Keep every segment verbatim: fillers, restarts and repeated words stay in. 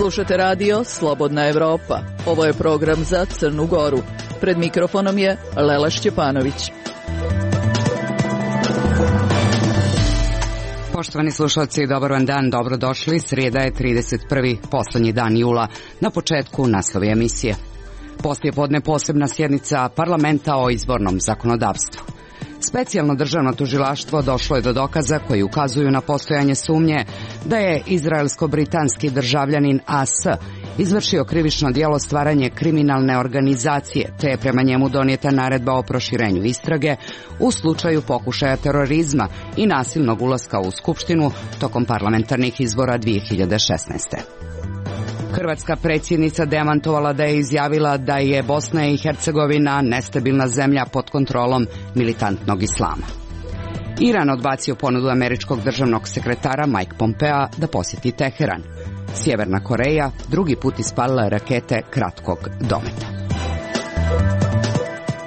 Slušate radio Slobodna Evropa. Ovo je program za Crnu Goru. Pred mikrofonom je Lela Šćepanović. Poštovani slušalci, dobar vam dan, dobrodošli. Srijeda je trideset prvi poslednji dan jula. Na početku naslovi emisije. Poslijepodne posebna sjednica parlamenta o izbornom zakonodavstvu. Specijalno državno tužilaštvo došlo je do dokaza koji ukazuju na postojanje sumnje da je izraelsko-britanski državljanin A S izvršio krivično djelo stvaranje kriminalne organizacije, te je prema njemu donijeta naredba o proširenju istrage u slučaju pokušaja terorizma i nasilnog ulaska u Skupštinu tokom parlamentarnih izbora dvije hiljade šesnaeste. Hrvatska predsjednica demantovala da je izjavila da je Bosna i Hercegovina nestabilna zemlja pod kontrolom militantnog islama. Iran odbacio ponudu američkog državnog sekretara Mike Pompea da posjeti Teheran. Sjeverna Koreja drugi put ispalila rakete kratkog dometa.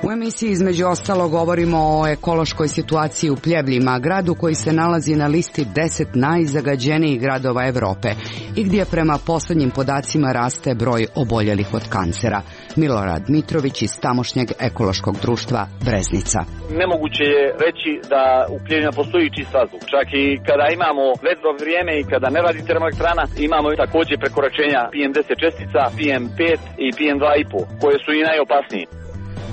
U emisiji između ostalo govorimo o ekološkoj situaciji u Pljevljima, gradu koji se nalazi na listi deset najzagađenijih gradova Europe i gdje prema posljednjim podacima raste broj oboljelih od kancera. Milorad Mitrović iz tamošnjeg ekološkog društva Breznica. Nemoguće je reći da u Pljevljima postoji čist vazduh. Čak i kada imamo vedro vrijeme i kada ne radi termoelektrana, imamo također prekoračenja P M deset čestica, P M pet i P M dva i po, koje su i najopasnije.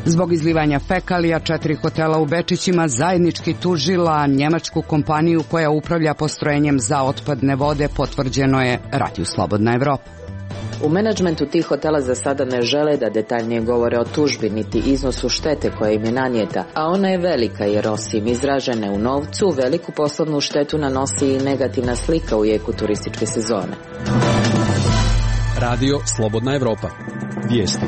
Zbog izlivanja fekalija četiri hotela u Bečićima zajednički tužila njemačku kompaniju koja upravlja postrojenjem za otpadne vode, potvrđeno je Radio Slobodna Evropa. U menadžmentu tih hotela za sada ne žele da detaljnije govore o tužbi niti iznosu štete koja im je nanijeta, a ona je velika jer osim izražene u novcu, veliku poslovnu štetu nanosi i negativna slika u jeku turističke sezone. Radio Slobodna Evropa. Vijesti.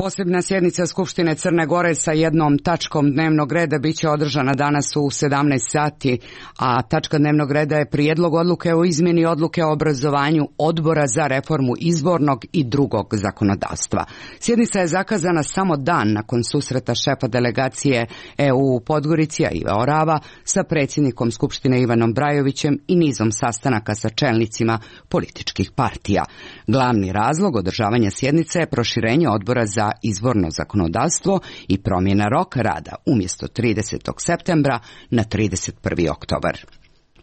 Posebna sjednica Skupštine Crne Gore sa jednom tačkom dnevnog reda biće održana danas u sedamnaest sati, a tačka dnevnog reda je prijedlog odluke o izmjeni odluke o obrazovanju Odbora za reformu izbornog i drugog zakonodavstva. Sjednica je zakazana samo dan nakon susreta šefa delegacije E U u Podgorici, Ive Orava, sa predsjednikom Skupštine Ivanom Brajovićem i nizom sastanaka sa čelnicima političkih partija. Glavni razlog održavanja sjednice je proširenje Odbora za izborno zakonodavstvo i promjena roka rada umjesto tridesetog septembra na trideset prvi oktobar.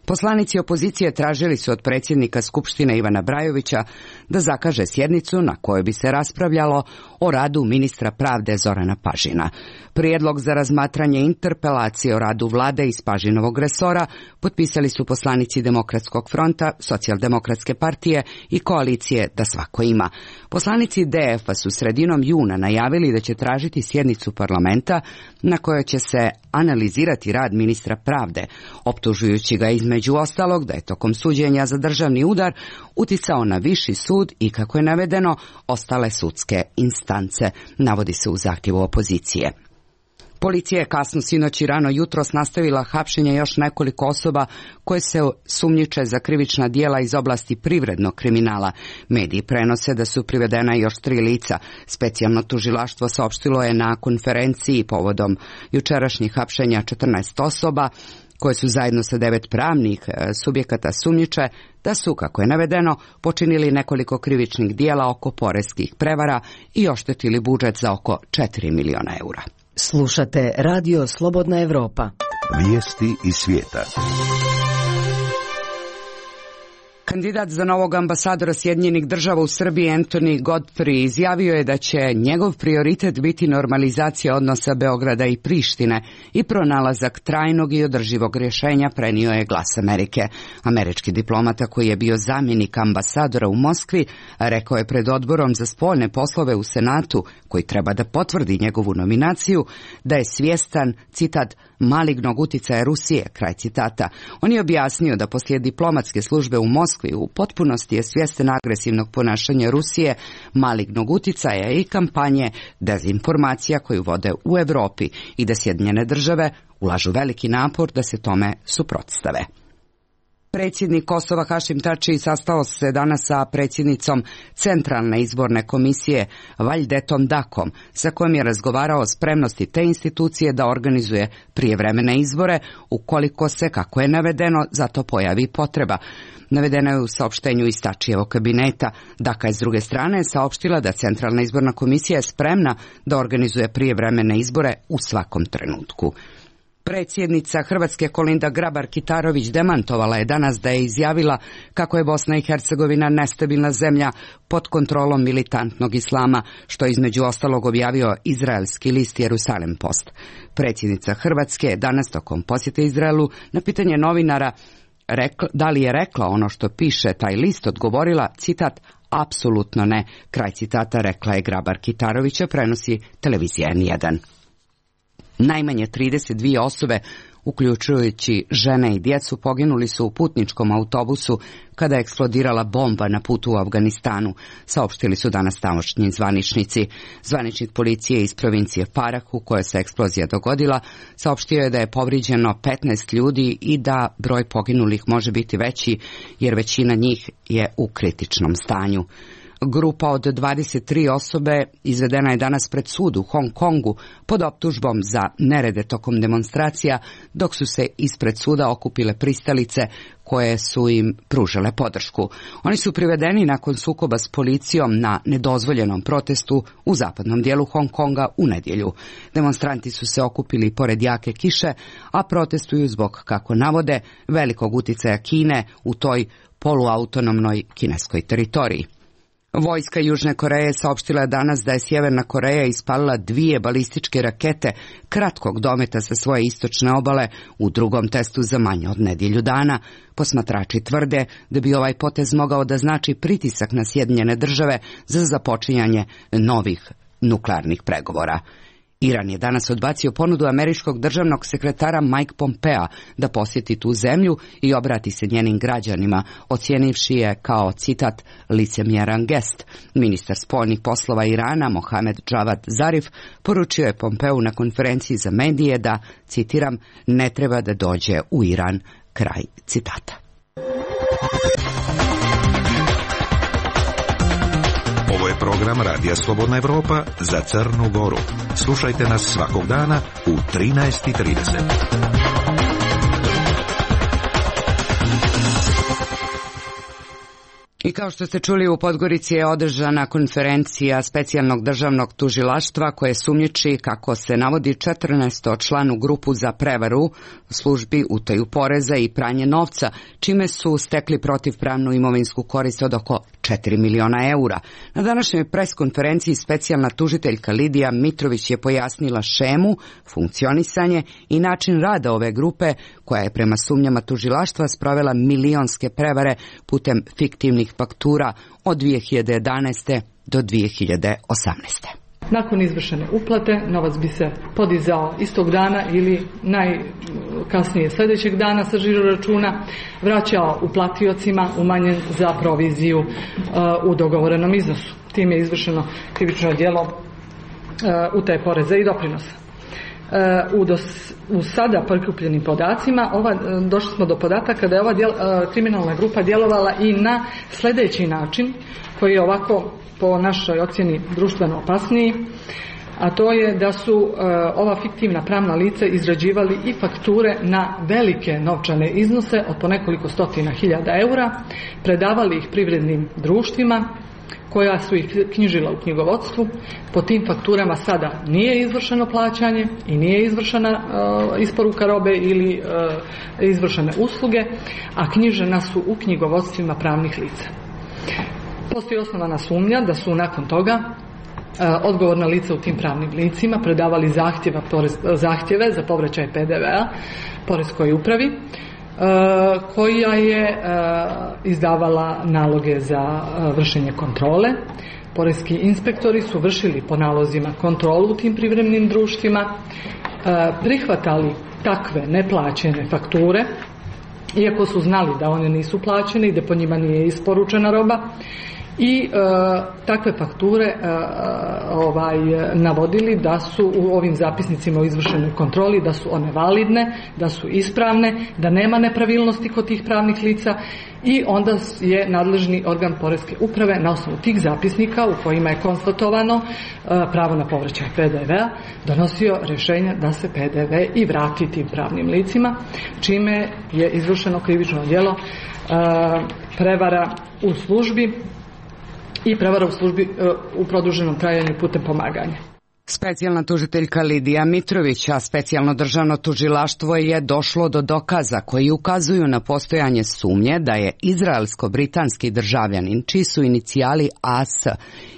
Poslanici opozicije tražili su od predsjednika Skupštine Ivana Brajovića da zakaže sjednicu na kojoj bi se raspravljalo o radu ministra pravde Zorana Pažina. Prijedlog za razmatranje interpelacije o radu vlade iz Pažinovog resora potpisali su poslanici Demokratskog fronta, Socijaldemokratske partije i koalicije Da svako ima. Poslanici D F-a su sredinom juna najavili da će tražiti sjednicu parlamenta na kojoj će se analizirati rad ministra pravde, optužujući ga između ostalog da je tokom suđenja za državni udar uticao na viši sud i, kako je navedeno, ostale sudske instance, navodi se u zahtjevu opozicije. Policija je kasno sinoć i rano jutros nastavila hapšenje još nekoliko osoba koje se sumnjiče za krivična djela iz oblasti privrednog kriminala. Mediji prenose da su privedena još tri lica. Specijalno tužilaštvo saopštilo je na konferenciji povodom jučerašnjih hapšenja četrnaest osoba, koje su zajedno sa devet pravnih subjekata sumnjiče da su, kako je navedeno, počinili nekoliko krivičnih djela oko poreskih prevara i oštetili budžet za oko četiri miliona eura. Slušate Radio Slobodna Evropa. Vijesti iz svijeta. Kandidat za novog ambasadora Sjedinjenih država u Srbiji Anthony Godfrey izjavio je da će njegov prioritet biti normalizacija odnosa Beograda i Prištine i pronalazak trajnog i održivog rješenja, prenio je Glas Amerike. Američki diplomata koji je bio zamjenik ambasadora u Moskvi rekao je pred Odborom za spoljne poslove u Senatu, koji treba da potvrdi njegovu nominaciju, da je svjestan, citat, malignog uticaja Rusije, kraj citata. On je objasnio da poslije diplomatske službe u Moskvi u potpunosti je svjestan agresivnog ponašanja Rusije, malignog uticaja i kampanje dezinformacija koju vode u Europi i da Sjedinjene države ulažu veliki napor da se tome suprotstave. Predsjednik Kosova Hašim Tači sastao se danas sa predsjednicom Centralne izborne komisije Valdetom Dakom, sa kojom je razgovarao o spremnosti te institucije da organizuje prijevremene izbore, ukoliko se, kako je navedeno, za to pojavi potreba. Navedeno je u saopštenju iz Tačijevog kabineta. Daka je s druge strane saopštila da Centralna izborna komisija je spremna da organizuje prijevremene izbore u svakom trenutku. Predsjednica Hrvatske Kolinda Grabar-Kitarović demantovala je danas da je izjavila kako je Bosna i Hercegovina nestabilna zemlja pod kontrolom militantnog islama, što je između ostalog objavio izraelski list Jerusalem Post. Predsjednica Hrvatske je danas tokom posjete Izraelu na pitanje novinara rekla, da li je rekla ono što piše taj list, odgovorila, citat, apsolutno ne. Kraj citata, rekla je Grabar-Kitarovića, prenosi televizija N jedan. Najmanje trideset dvije osobe, uključujući žene i djecu, poginuli su u putničkom autobusu kada je eksplodirala bomba na putu u Afganistanu, saopštili su danas tamošnji zvaničnici. Zvaničnik policije iz provincije Farah, u kojoj se eksplozija dogodila, saopštio je da je povrijeđeno petnaest ljudi i da broj poginulih može biti veći, jer većina njih je u kritičnom stanju. Grupa od dvadeset tri osobe izvedena je danas pred sud u Hong Kongu pod optužbom za nerede tokom demonstracija, dok su se ispred suda okupile pristalice koje su im pružale podršku. Oni su privedeni nakon sukoba s policijom na nedozvoljenom protestu u zapadnom dijelu Hong Konga u nedjelju. Demonstranti su se okupili pored jake kiše, a protestuju zbog, kako navode, velikog uticaja Kine u toj poluautonomnoj kineskoj teritoriji. Vojska Južne Koreje saopštila je danas da je Sjeverna Koreja ispalila dvije balističke rakete kratkog dometa sa svoje istočne obale u drugom testu za manje od nedjelju dana. Posmatrači tvrde da bi ovaj potez mogao da znači pritisak na Sjedinjene države za započinjanje novih nuklearnih pregovora. Iran je danas odbacio ponudu američkog državnog sekretara Mike Pompea da posjeti tu zemlju i obrati se njenim građanima, ocijenivši je kao, citat, licemjeran gest. Ministar spoljnih poslova Irana Mohamed Javad Zarif poručio je Pompeu na konferenciji za medije da, citiram, ne treba da dođe u Iran, kraj citata. Ovo je program Radija Slobodna Evropa za Crnu Goru. Slušajte nas svakog dana u trinaest i trideset. I kao što ste čuli, u Podgorici je održana konferencija specijalnog državnog tužilaštva koje sumnjiči, kako se navodi, četrnaestočlanu grupu za prevaru, službi, utaju poreza i pranje novca, čime su stekli protivpravnu imovinsku korist od oko četiri miliona eura. Na današnjoj preskonferenciji specijalna tužiteljka Lidija Mitrović je pojasnila šemu, funkcionisanje i način rada ove grupe, koja je prema sumnjama tužilaštva sprovela milionske prevare putem fiktivnih faktura od dvije hiljade jedanaeste do dvije hiljade osamnaeste. Nakon izvršene uplate, novac bi se podizao istog dana ili najkasnije sljedećeg dana sa žiro računa, vraćao uplatiocima umanjen za proviziju uh, u dogovorenom iznosu. Time je izvršeno krivično djelo uh, utaje poreza i doprinosa. Uh, u, dos, u sada prikupljenim podacima ova, uh, došli smo do podataka da je ova djel, uh, kriminalna grupa djelovala i na sljedeći način, koji je ovako po našoj ocjeni društveno opasniji, a to je da su uh, ova fiktivna pravna lica izrađivali i fakture na velike novčane iznose od po nekoliko stotina hiljada eura, predavali ih privrednim društvima koja su ih knjižila u knjigovodstvu. Po tim fakturama sada nije izvršeno plaćanje i nije izvršena uh, isporuka robe ili uh, izvršene usluge, a knjižena su u knjigovodstvima pravnih lica. Postoji osnovana sumnja da su nakon toga odgovorna lica u tim pravnim licima predavali zahtjeva, zahtjeve za povraćaj P D V-a poreskoj upravi, koja je izdavala naloge za vršenje kontrole. Poreski inspektori su vršili po nalozima kontrolu u tim privremenim društvima, prihvatali takve neplaćene fakture, iako su znali da one nisu plaćene i da po njima nije isporučena roba, i e, takve fakture e, ovaj, navodili da su u ovim zapisnicima o izvršenoj kontroli, da su one validne, da su ispravne, da nema nepravilnosti kod tih pravnih lica i onda je nadležni organ Poreske uprave na osnovu tih zapisnika u kojima je konstatovano e, pravo na povraćaj P D V-a donosio rješenja da se P D V i vrati tim pravnim licima, čime je izvršeno krivično djelo e, prevara u službi i prevara u službi e, u produženom trajanju putem pomaganja. Specijalna tužiteljka Lidija Mitrović, a specijalno državno tužilaštvo je došlo do dokaza koji ukazuju na postojanje sumnje da je izraelsko-britanski državljanin, čiji su inicijali A S,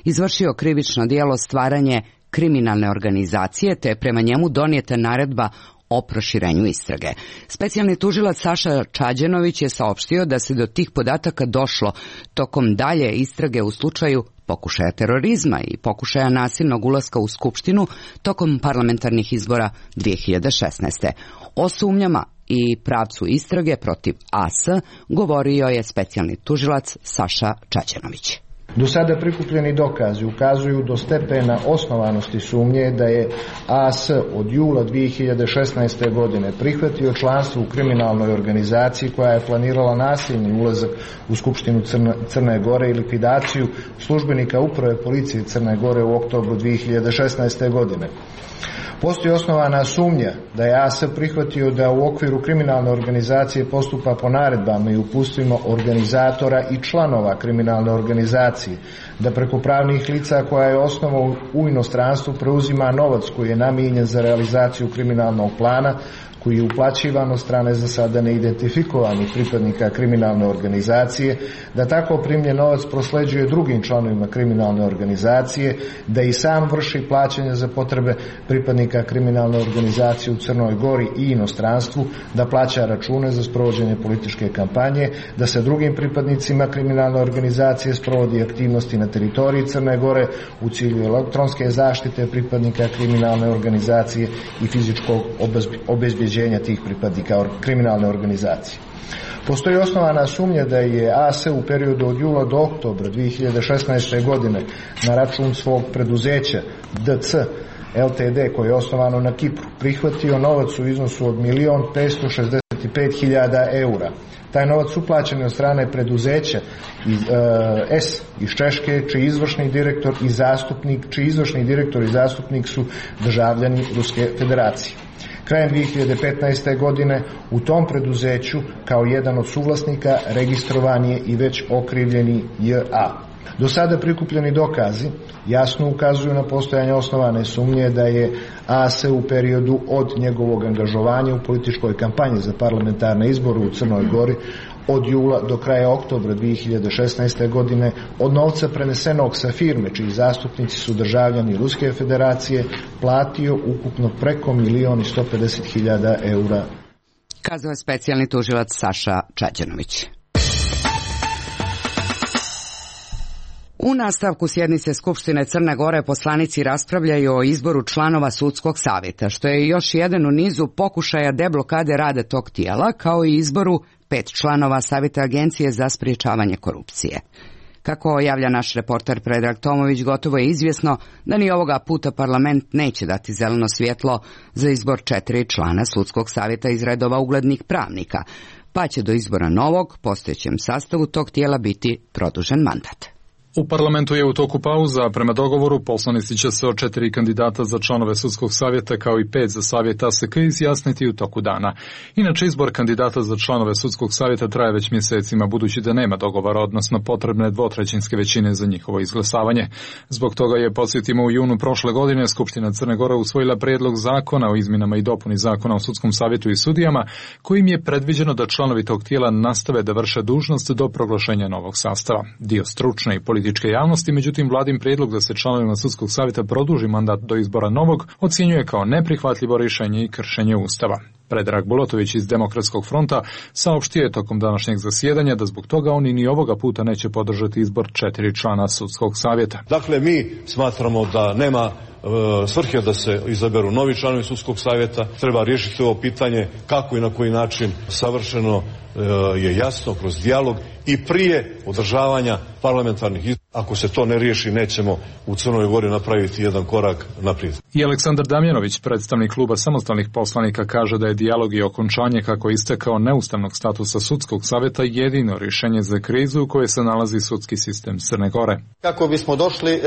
izvršio krivično djelo stvaranje kriminalne organizacije, te je prema njemu donijeta naredba o proširenju istrage. Specijalni tužilac Saša Čađenović je saopštio da se do tih podataka došlo tokom dalje istrage u slučaju pokušaja terorizma i pokušaja nasilnog ulaska u Skupštinu tokom parlamentarnih izbora dvije hiljade šesnaeste. O sumnjama i pravcu istrage protiv A S govorio je specijalni tužilac Saša Čađenović. Do sada prikupljeni dokazi ukazuju do stepena osnovanosti sumnje da je A S od jula dvije hiljade šesnaeste. godine prihvatio članstvo u kriminalnoj organizaciji koja je planirala nasilni ulazak u Skupštinu Crne, Crne Gore i likvidaciju službenika uprave policije Crne Gore u oktobru dvije hiljade šesnaeste. godine. Postoji osnovana sumnja da je A S prihvatio da u okviru kriminalne organizacije postupa po naredbama i uputstvima organizatora i članova kriminalne organizacije, da preko pravnih lica koja je osnovao u inostranstvu preuzima novac koji je namijenjen za realizaciju kriminalnog plana, koji je uplaćivan od strane za sada neidentifikovanih pripadnika kriminalne organizacije, da tako primljen novac prosleđuje drugim članovima kriminalne organizacije, da i sam vrši plaćanje za potrebe pripadnika kriminalne organizacije u Crnoj Gori i inostranstvu, da plaća račune za sprovođenje političke kampanje, da se drugim pripadnicima kriminalne organizacije sprovodi aktivnosti na teritoriji Crne Gore u cilju elektronske zaštite pripadnika kriminalne organizacije i fizičkog obezbeđenja tih pripadnika kriminalne organizacije. Postoji osnovana sumnja da je A S u periodu od jula do oktobra dvije hiljade šesnaeste. godine na račun svog preduzeća D C L T D koje je osnovano na Kipru prihvatio novac u iznosu od milion petsto šezdeset pet hiljada eura. Taj novac uplaćen je od strane preduzeća iz, e, S iz Češke, čiji izvršni direktor i zastupnik, čiji izvršni direktor i zastupnik su državljani Ruske federacije. Krajem dvije hiljade petnaeste. godine u tom preduzeću kao jedan od suvlasnika registrovan je i već okrivljeni J A. Do sada prikupljeni dokazi jasno ukazuju na postojanje osnovane sumnje da je A S u periodu od njegovog angažovanja u političkoj kampanji za parlamentarne izbore u Crnoj Gori od jula do kraja oktobra dvije hiljade šesnaeste. godine od novca prenesenog sa firme, čiji zastupnici su državljani Ruske federacije, platio ukupno preko milion i sto pedeset hiljada eura. Kazao je specijalni tužilac Saša Čađenović. U nastavku sjednice Skupštine Crne Gore poslanici raspravljaju o izboru članova sudskog savjeta, što je još jedan u nizu pokušaja deblokade rada tog tijela, kao i izboru pet članova Savjeta Agencije za sprječavanje korupcije. Kako javlja naš reporter Predrag Tomović, gotovo je izvjesno da ni ovoga puta parlament neće dati zeleno svjetlo za izbor četiri člana sudskog savjeta iz redova uglednih pravnika, pa će do izbora novog, postojećem sastavu tog tijela biti produžen mandat. U parlamentu je u toku pauza, prema dogovoru poslanici će se o četiri kandidata za članove sudskog savjeta kao i pet za savjet A S K izjasniti u toku dana. Inače, izbor kandidata za članove sudskog savjeta traje već mjesecima, budući da nema dogovora, odnosno potrebne dvotrećinske većine za njihovo izglasavanje. Zbog toga je, podsjetimo, u junu prošle godine Skupština Crne Gore usvojila prijedlog zakona o izmjenama i dopuni zakona o sudskom savjetu i sudijama, kojim je predviđeno da članovi tog tijela nastave da vrše dužnost do proglašenja novog sastava. Dio stručne i političke javnosti, međutim, vladin prijedlog da se članovima sudskog savjeta produži mandat do izbora novog ocjenjuje kao neprihvatljivo rješenje i kršenje Ustava. Predrag Bulatović iz Demokratskog fronta saopštio je tokom današnjeg zasjedanja da zbog toga oni ni ovoga puta neće podržati izbor četiri člana sudskog savjeta. Dakle, mi smatramo da nema e, svrhe da se izaberu novi članovi sudskog savjeta. Treba riješiti ovo pitanje kako i na koji način savršeno e, je jasno kroz dijalog i prije održavanja parlamentarnih izbora, ako se to ne riješi, nećemo u Crnoj Gori napraviti jedan korak naprijed. I Aleksandar Damjanović, predstavnik kluba samostalnih poslanika, kaže da je dijalog i okončanje kako istekao neustavnog statusa sudskog savjeta jedino rješenje za krizu u kojoj se nalazi sudski sistem Crne Gore. Kako bismo došli e,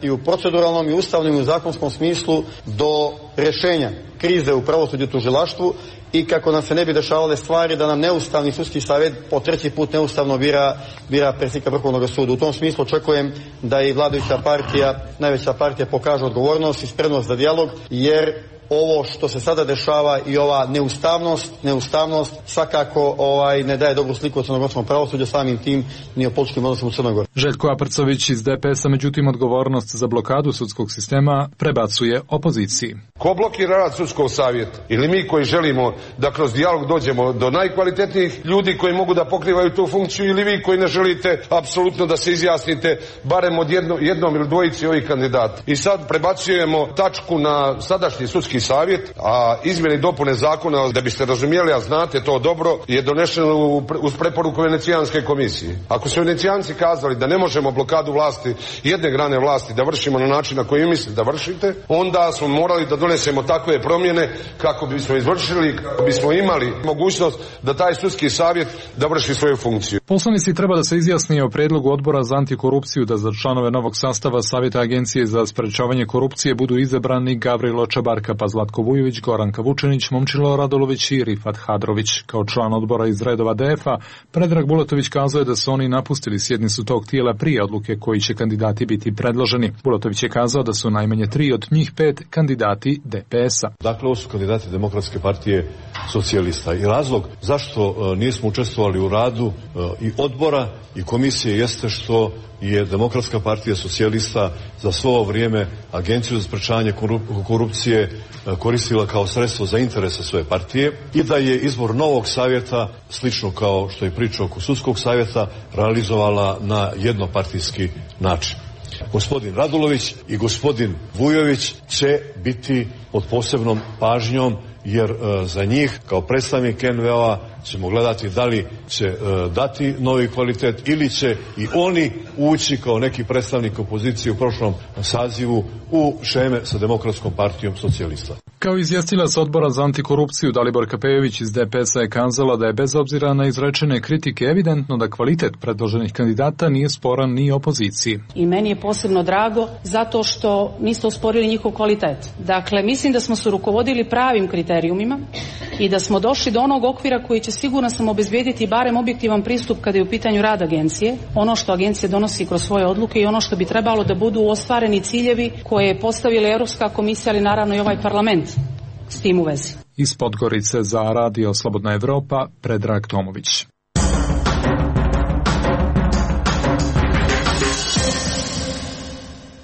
i u proceduralnom i ustavnom i u zakonskom smislu do rješenja krize u pravosuđu i tužilaštvu i kako nam se ne bi dešavale stvari da nam neustavni sudski savjet po treći put neustavno bira, bira predsjednika Vrhovnog suda. U tom smislu očekujem da i vladajuća partija, najveća partija, pokaže odgovornost i spremnost za dijalog, jer ovo što se sada dešava i ova neustavnost, neustavnost svakako ovaj, ne daje dobru sliku o crnogorskom pravosuđu, samim tim ni o političkim odnosima u Crnoj Gori. Željko Aprcović iz D P S-a, međutim, odgovornost za blokadu sudskog sistema prebacuje opoziciji. Ko blokira rad sudskog savjeta? Ili mi koji želimo da kroz dijalog dođemo do najkvalitetnijih ljudi koji mogu da pokrivaju tu funkciju, ili vi koji ne želite apsolutno da se izjasnite barem od jedno, jednom ili dvojici ovih kandidata. I sad prebacujemo tačku na sadašnji sudski savjet, a izmjene i dopune zakona, da biste razumjeli, a znate to dobro, je donešeno uz preporuku Venecijanske komisije. Ako su Venecijanci kazali da ne možemo blokadu vlasti, jedne grane vlasti, da vršimo na način na koji mislite da vršite, onda smo morali da donesemo takve promjene kako bismo izvršili, kako bismo imali mogućnost da taj sudski savjet da vrši svoju funkciju. Poslanici treba da se izjasni o prijedlogu odbora za antikorupciju da za članove novog sastava Savjeta Agencije za sprečavanje korupcije budu izabrani Gavrilo Čabarka, pa Zlatko Vujović, Goranka Vučenić, Momčilo Radolović i Rifat Hadrović. Kao član odbora iz redova D F-a, Predrag Bulatović kazao je da su oni napustili sjednicu tog tijela prije odluke koji će kandidati biti predloženi. Bulatović je kazao da su najmanje tri od njih pet kandidati D P S-a. Dakle, ovo su kandidati Demokratske partije socijalista. I razlog zašto uh, nismo učestvovali u radu uh, i odbora i komisije jeste što je Demokratska partija socijalista za svo ovo vrijeme Agenciju za sprečavanje korupcije koristila kao sredstvo za interese svoje partije i da je izbor novog savjeta, slično kao što je priča oko sudskog savjeta, realizovala na jednopartijski način. Gospodin Radulović i gospodin Vujović će biti pod posebnom pažnjom, jer e, za njih kao predstavnik N V O-a ćemo gledati da li će e, dati novi kvalitet ili će i oni ući kao neki predstavnik opozicije u prošlom sazivu u šeme sa Demokratskom partijom socijalista. Kao izvjestilac odbora za antikorupciju Dalibor Kapejović iz D P S-a je kazala da je bez obzira na izrečene kritike evidentno da kvalitet predloženih kandidata nije sporan ni opoziciji. I meni je posebno drago zato što niste osporili njihov kvalitet. Dakle, mislim da smo se rukovodili pravim kriterijumima i da smo došli do onog okvira koji će sigurno sam obezbijediti barem objektivan pristup kada je u pitanju rad agencije, ono što agencija donosi kroz svoje odluke i ono što bi trebalo da budu ostvareni ciljevi koje je postavila Europska komisija, ali naravno i ovaj parlament s tim u vezi. Iz Podgorice za Radio Slobodna Evropa, Predrag Tomović.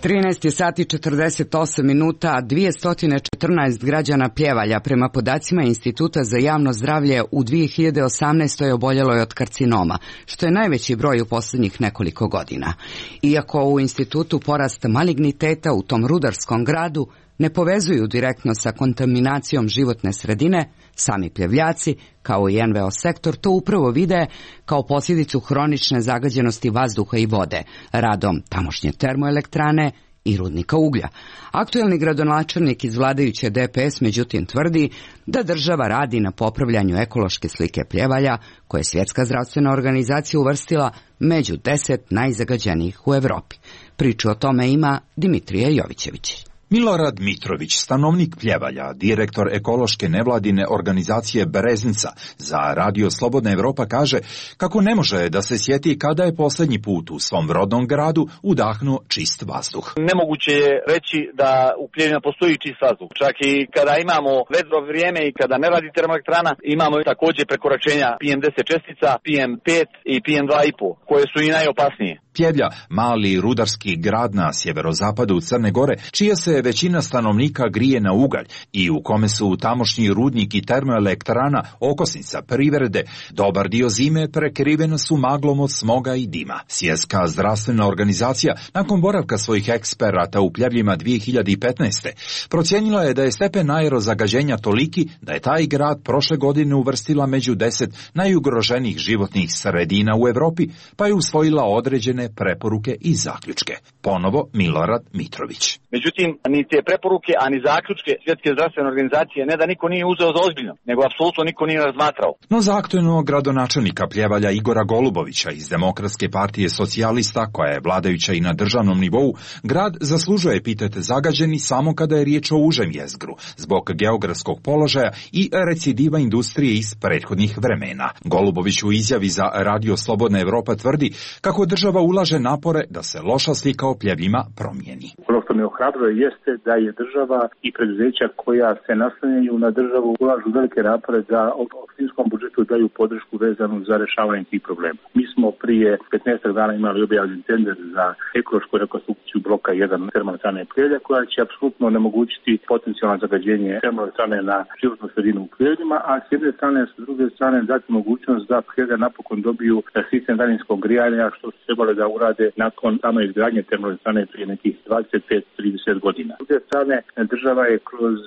trinaest sati četrdeset osam minuta, dvjesto četrnaest građana Pljevalja prema podacima Instituta za javno zdravlje u dvije hiljade osamnaestoj oboljelo je od karcinoma, što je najveći broj u posljednjih nekoliko godina. Iako u institutu porast maligniteta u tom rudarskom gradu ne povezuju direktno sa kontaminacijom životne sredine, sami Pljevljaci, kao i N V O sektor, to upravo vide kao posljedicu hronične zagađenosti vazduha i vode, radom tamošnje termoelektrane i rudnika uglja. Aktuelni gradonačelnik iz vladajuće D P S međutim tvrdi da država radi na popravljanju ekološke slike Pljevalja, koje je Svjetska zdravstvena organizacija uvrstila među deset najzagađenijih u Europi. Priču o tome ima Dimitrije Jovićević. Milorad Mitrović, stanovnik Pljevalja, direktor ekološke nevladine organizacije Bereznica, za Radio Slobodna Evropa kaže kako ne može da se sjeti kada je posljednji put u svom rodnom gradu udahnuo čist vazduh. Nemoguće je reći da u Pljevljima postoji čist vazduh. Čak i kada imamo vedro vrijeme i kada ne radi termoelektrana, imamo također prekoračenja P M deset čestica, P M pet i P M dva i pet, koje su i najopasnije. Pljevlja, mali rudarski grad na sjeverozapadu Crne Gore, čije se se većina stanovnika grije na ugalj i u kome su tamošnji rudnik i termoelektrana okosnica privrede, dobar dio zime prekrivena su maglom od smoga i dima. Svjetska zdravstvena organizacija, nakon boravka svojih eksperata u Pljevljima dvije hiljade petnaeste. procijenila je da je stepen aerozagađenja toliki da je taj grad prošle godine uvrstila među deset najugroženijih životnih sredina u Europi, pa je usvojila određene preporuke i zaključke. Ponovo Milorad Mitrović. Međutim, ni te preporuke, a ni zaključke Svjetske zdravstvene organizacije ne da niko nije uzeo za ozbiljno, nego apsolutno niko nije razmatrao. No za aktuelnog gradonačelnika Pljevalja Igora Golubovića iz Demokratske partije socijalista, koja je vladajuća i na državnom nivou, grad zaslužuje epitet zagađeni samo kada je riječ o užem jezgru, zbog geografskog položaja i recidiva industrije iz prethodnih vremena. Golubović u izjavi za Radio Slobodna Evropa tvrdi kako država ulaže napore da se loša slika o Pljevljima promijeni. Ono što me ohrabruje jeste da je država i preduzeća koja se naslanjaju na državu ulažu velike napore da u opštinskom budžetu daju podršku vezanu za rješavanje tih problema. Mi smo prije petnaest dana imali objavljen tender za ekološku rekonstrukciju bloka jedan termoelektrane Pljevlja, koja će apsolutno onemogućiti potencijalno zagađenje termoelektrane na životnu sredinu u Pljevljima, a s jedne strane, s druge strane dati mogućnost da Pljevlja napokon dobiju sistem daljinskog grijanja, što su trebali da urade nakon same izgradnje termoelektrane prije nekih dvadeset pet do trideset godina. S druge strane, država je kroz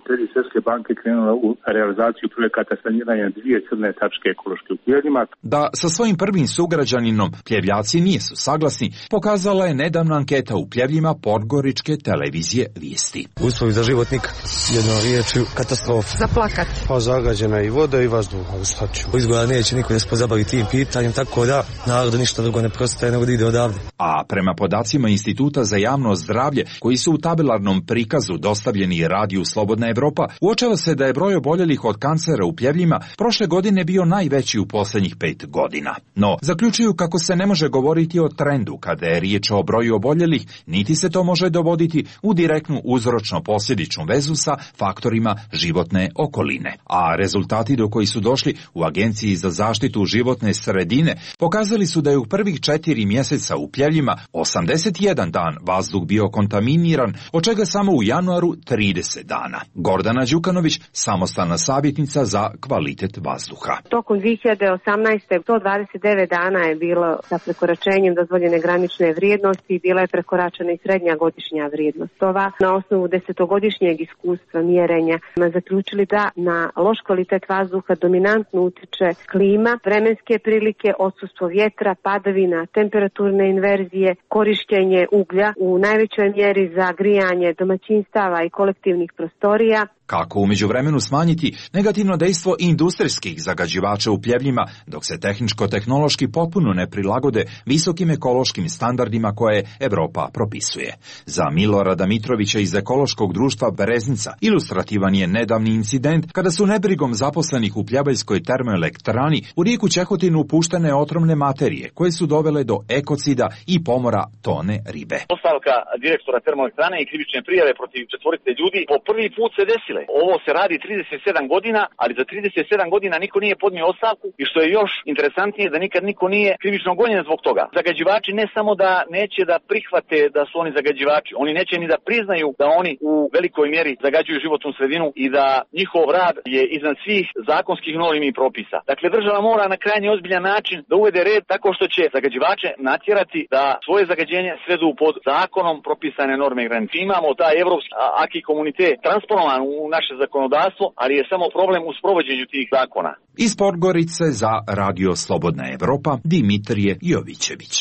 kredit Svjetske banke krenula u realizaciju projekata saniranja dvije crne tačke ekološke u Pljevljima. Da sa svojim prvim sugrađaninom Pljevljaci nisu saglasni, pokazala je nedavna anketa u Pljevljima podgoričke televizije Vijesti. Uslovi za život nikak. Jednom riječju katastrofa. Za plakat. Pa zagađena i voda i vazduh, ali šta ću. Izgleda neće niko da se pozabavi tim pitanjem, tako da narodu ništa drugo ne prostaje nego da ide odavde. A prema podacima Instituta za javno zdravlje, koji su u tabelarnom prikazu dostavljeni Radiju Slobodna Evropa, uočava se da je broj oboljelih od kancera u Pljevljima prošle godine bio najveći u posljednjih pet godina. No, zaključuju kako se ne može govoriti o trendu kada je riječ o broju oboljelih, niti se to može dovoditi u direktnu uzročno-posljedičnu vezu sa faktorima životne okoline. A rezultati do koji su došli u Agenciji za zaštitu životne sredine pokazali su da je u prvih četiri mjeseca u Pljevljima osamdeset jedan dan vazduh bio kontaminiran, od čega samo u januaru trideset dana. Gordana Đukanović, samostalna savjetnica za kvalitet vazduha. Tokom dvije hiljade osamnaeste. sto dvadeset devet dana je bilo sa prekoračenjem dozvoljene granične vrijednosti, bila je prekoračena i srednja godišnja vrijednost. Ova na osnovu desetogodišnjeg iskustva mjerenja zaključili da na loš kvalitet vazduha dominantno utiče klima, vremenske prilike, odsustvo vjetra, padavina, temperaturne inverzije, korištenje uglja u najvećoj mjeri za grijanje domaćinstava i kolektivnih prostorija. Kako u međuvremenu smanjiti negativno dejstvo industrijskih zagađivača u Pljevljima, dok se tehničko-tehnološki potpuno ne prilagode visokim ekološkim standardima koje Evropa propisuje. Za Milorada Mitrovića iz ekološkog društva Bereznica ilustrativan je nedavni incident kada su nebrigom zaposlenih u Pljevaljskoj termoelektrani u rijeku Čehotinu upuštene otrovne materije koje su dovele do ekocida i pomora tone ribe. Ostavka direktora termoelektrane i krivične prijave protiv četvorice ljudi po prvi put se desile. Ovo se radi trideset sedam godina, ali za trideset sedam godina niko nije podnio ostavku i što je još interesantnije da nikad niko nije krivično gonjen zbog toga. Zagađivači ne samo da neće da prihvate da su oni zagađivači, oni neće ni da priznaju da oni u velikoj mjeri zagađuju životnu sredinu i da njihov rad je iznad svih zakonskih normi i propisa. Dakle, država mora na krajnje ozbiljan način da uvede red tako što će zagađivače natjerati da svoje zagađenje svedu pod zakonom propisane norme i granice. Imamo taj evropski aki komunitet transponovan u naše zakonodavstvo, ali je samo problem u sprovođenju tih zakona. Iz Podgorice za Radio Slobodna Evropa Dimitrije Jovićević.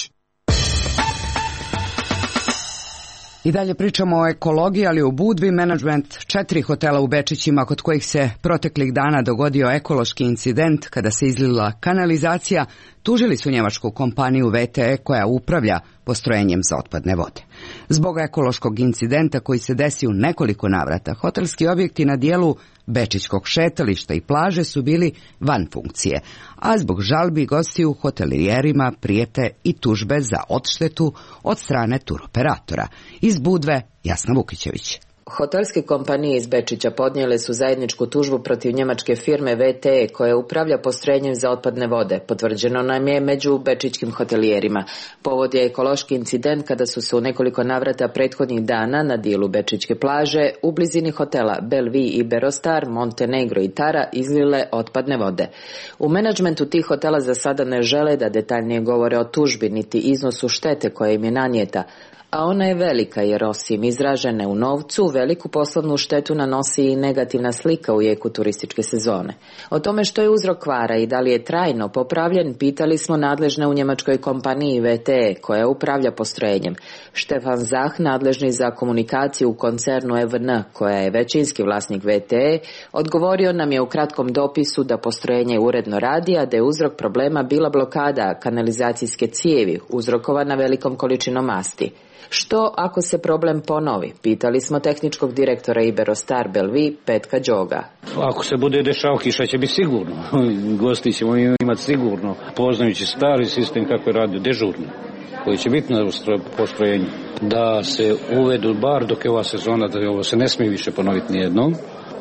I dalje pričamo o ekologiji, ali u Budvi menadžment četiri hotela u Bečićima kod kojih se proteklih dana dogodio ekološki incident kada se izlila kanalizacija, tužili su njemačku kompaniju V T E koja upravlja postrojenjem za otpadne vode. Zbog ekološkog incidenta koji se desi u nekoliko navrata, hotelski objekti na dijelu Bečićkog šetališta i plaže su bili van funkcije, a zbog žalbi gostiju hotelijerima prijete i tužbe za odštetu od strane turoperatora. Iz Budve, Jasna Vukićević. Hotelske kompanije iz Bečića podnijele su zajedničku tužbu protiv njemačke firme V T E koja upravlja postrojenjem za otpadne vode. Potvrđeno nam je među bečićkim hotelijerima. Povod je ekološki incident kada su se u nekoliko navrata prethodnih dana na dijelu bečićke plaže u blizini hotela Belvi i Berostar, Montenegro i Tara izlile otpadne vode. U menadžmentu tih hotela za sada ne žele da detaljnije govore o tužbi niti iznosu štete koja im je nanijeta, a ona je velika jer osim izražene u novcu, veliku poslovnu štetu nanosi i negativna slika u jeku turističke sezone. O tome što je uzrok kvara i da li je trajno popravljen, pitali smo nadležne u njemačkoj kompaniji V T E koja upravlja postrojenjem. Štefan Zah, nadležni za komunikaciju u koncernu E V N, koja je većinski vlasnik V T E, odgovorio nam je u kratkom dopisu da postrojenje uredno radi, a da je uzrok problema bila blokada kanalizacijske cijevi uzrokovana velikom količinom masti. Što ako se problem ponovi? Pitali smo tehničkog direktora Iberostar Belvi, Petka Đoga. Ako se bude dešao, kiša će biti sigurno. Gosti ćemo imati sigurno, poznajući stari sistem kako je radio dežurno, koji će biti na postrojenju. Da se uvedu bar dok je ova sezona, da ovo se ne smije više ponoviti nijednom,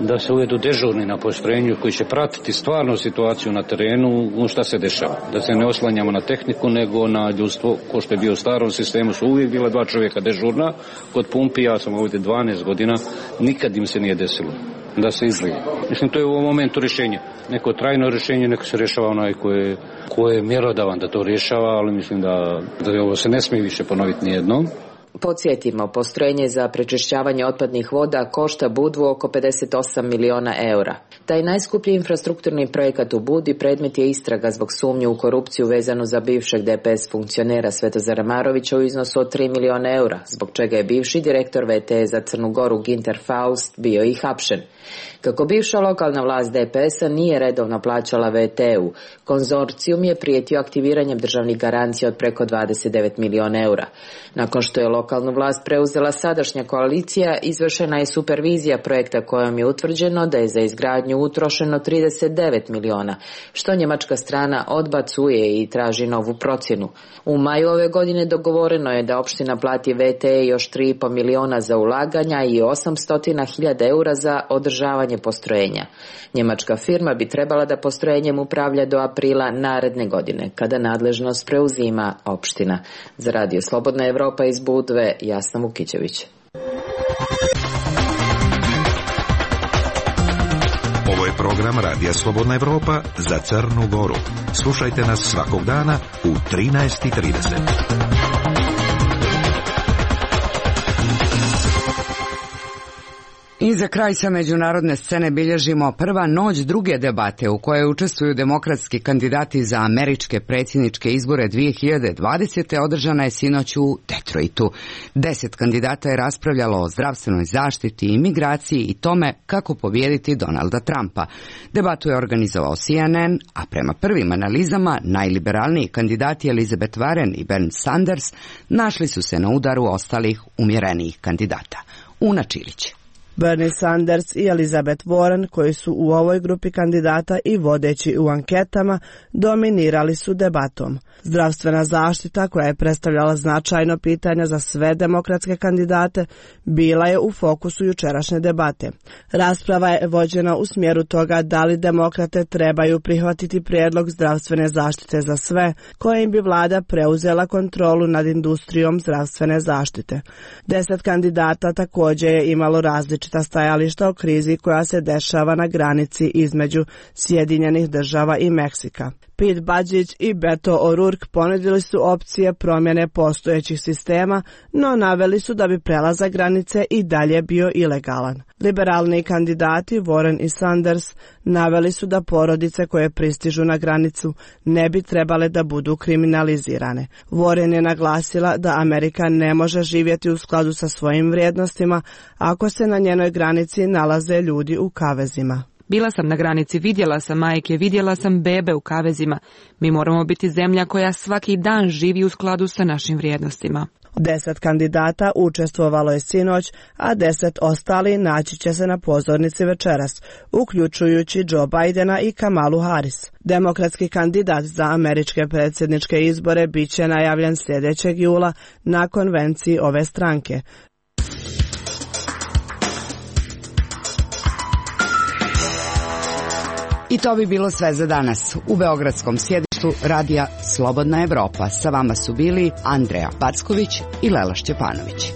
da se uvedu dežurni na postrojenju koji će pratiti stvarno situaciju na terenu, šta se dešava. Da se ne oslanjamo na tehniku, nego na ljudstvo, ko što je bio u starom sistemu, su uvijek bila dva čovjeka dežurna. Kod pumpi, ja sam ovdje dvanaest godina, nikad im se nije desilo da se izlije. Mislim, to je u ovom momentu rješenje. Neko trajno rješenje, neko se rješava onaj koje, koje je mjerodavan da to rješava, ali mislim da, da ovo se ne smije više ponoviti nijednom. Podsjetimo, postrojenje za prečišćavanje otpadnih voda košta Budvu oko pedeset osam miliona eura. Taj najskuplji infrastrukturni projekat u Budi predmet je istraga zbog sumnje u korupciju vezanu za bivšeg D P S funkcionera Svetozara Marovića u iznosu od tri miliona eura, zbog čega je bivši direktor V T E za Crnu Goru Ginter Faust bio i hapšen. Kako bivša lokalna vlast D P S-a nije redovno plaćala V T E-u, konzorcijum je prijetio aktiviranjem državnih garancija od preko dvadeset devet miliona eura. Nakon što je lokalnu vlast preuzela sadašnja koalicija, izvršena je supervizija projekta kojom je utvrđeno da je za izgradnju utrošeno trideset devet miliona, što njemačka strana odbacuje i traži novu procjenu. U maju ove godine dogovoreno je da opština plati V T E još tri i po miliona za ulaganja i osamsto hiljada eura za održavanje postrojenja. Njemačka firma bi trebala da postrojenjem upravlja do aprila naredne godine, kada nadležnost preuzima opština. Za Radio Slobodna Evropa iz Budve, Jasna Vukićević. Ovo je program Radija Slobodna Evropa za Crnu Goru. Slušajte nas svakog dana u trinaest i trideset. I za kraj sa međunarodne scene bilježimo prva noć druge debate u kojoj učestvuju demokratski kandidati za američke predsjedničke izbore dvije hiljade dvadesete. održana je sinoć u Detroitu. Deset kandidata je raspravljalo o zdravstvenoj zaštiti i migraciji i tome kako pobijediti Donalda Trumpa. Debatu je organizovao C N N, a prema prvim analizama najliberalniji kandidati Elizabeth Warren i Bernie Sanders našli su se na udaru ostalih umjerenijih kandidata. Una Čilić. Bernie Sanders i Elizabeth Warren, koji su u ovoj grupi kandidata i vodeći u anketama, dominirali su debatom. Zdravstvena zaštita, koja je predstavljala značajno pitanje za sve demokratske kandidate, bila je u fokusu jučerašnje debate. Rasprava je vođena u smjeru toga da li demokrate trebaju prihvatiti prijedlog zdravstvene zaštite za sve, kojim bi vlada preuzela kontrolu nad industrijom zdravstvene zaštite. Deset kandidata također je imalo različita stajališta o krizi koja se dešava na granici između Sjedinjenih država i Meksika. Pete Buttigieg i Beto O'Rourke ponudili su opcije promjene postojećih sistema, no naveli su da bi prelazak granice i dalje bio ilegalan. Liberalni kandidati Warren i Sanders naveli su da porodice koje pristižu na granicu ne bi trebale da budu kriminalizirane. Warren je naglasila da Amerika ne može živjeti u skladu sa svojim vrijednostima ako se na njenoj granici nalaze ljudi u kavezima. Bila sam na granici, vidjela sam majke, vidjela sam bebe u kavezima. Mi moramo biti zemlja koja svaki dan živi u skladu sa našim vrijednostima. Deset kandidata učestvovalo je sinoć, a deset ostali naći će se na pozornici večeras, uključujući Joe Bidena i Kamalu Harris. Demokratski kandidat za američke predsjedničke izbore bit će najavljen sljedećeg jula na konvenciji ove stranke. I to bi bilo sve za danas. U beogradskom sjedištu radija Slobodna Evropa sa vama su bili Andreja Packović i Lela Šćepanović.